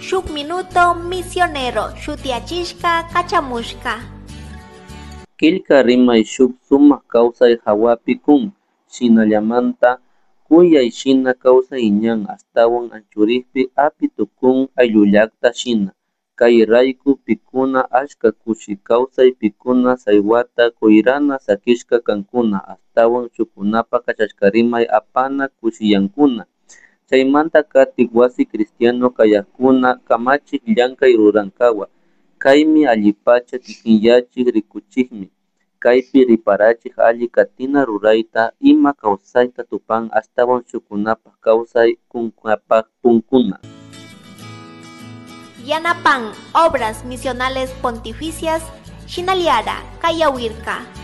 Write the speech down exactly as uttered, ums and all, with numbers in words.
Shuk Minuto Misionero shutiyachishka kachamushka. Killka rimay shuk sumak kawsay hawapi kun, shinallamanta kuyay shina kawsay ñan ashtawan anchurikpi api tukun ayllullakta shina, kay rayku pikuna achka kushi kawsay pikuna saywata kuyrana sakishka kankuna ashtawan shukkunapa kachashkarimay apana kushiyankuna, chaymanta katik wasi cristiano kayakuna kamachik llankay rurankawa, kaymi allipacha kikinyachik rikuchikmi, kaypi riparachik alli katina rurayta ima kawsayta tupan ashtawan shukkunapak kawsay kunkapak punkuna. Yanapan Obras Misionales Pontificias, Shinaliara, Kayawirka.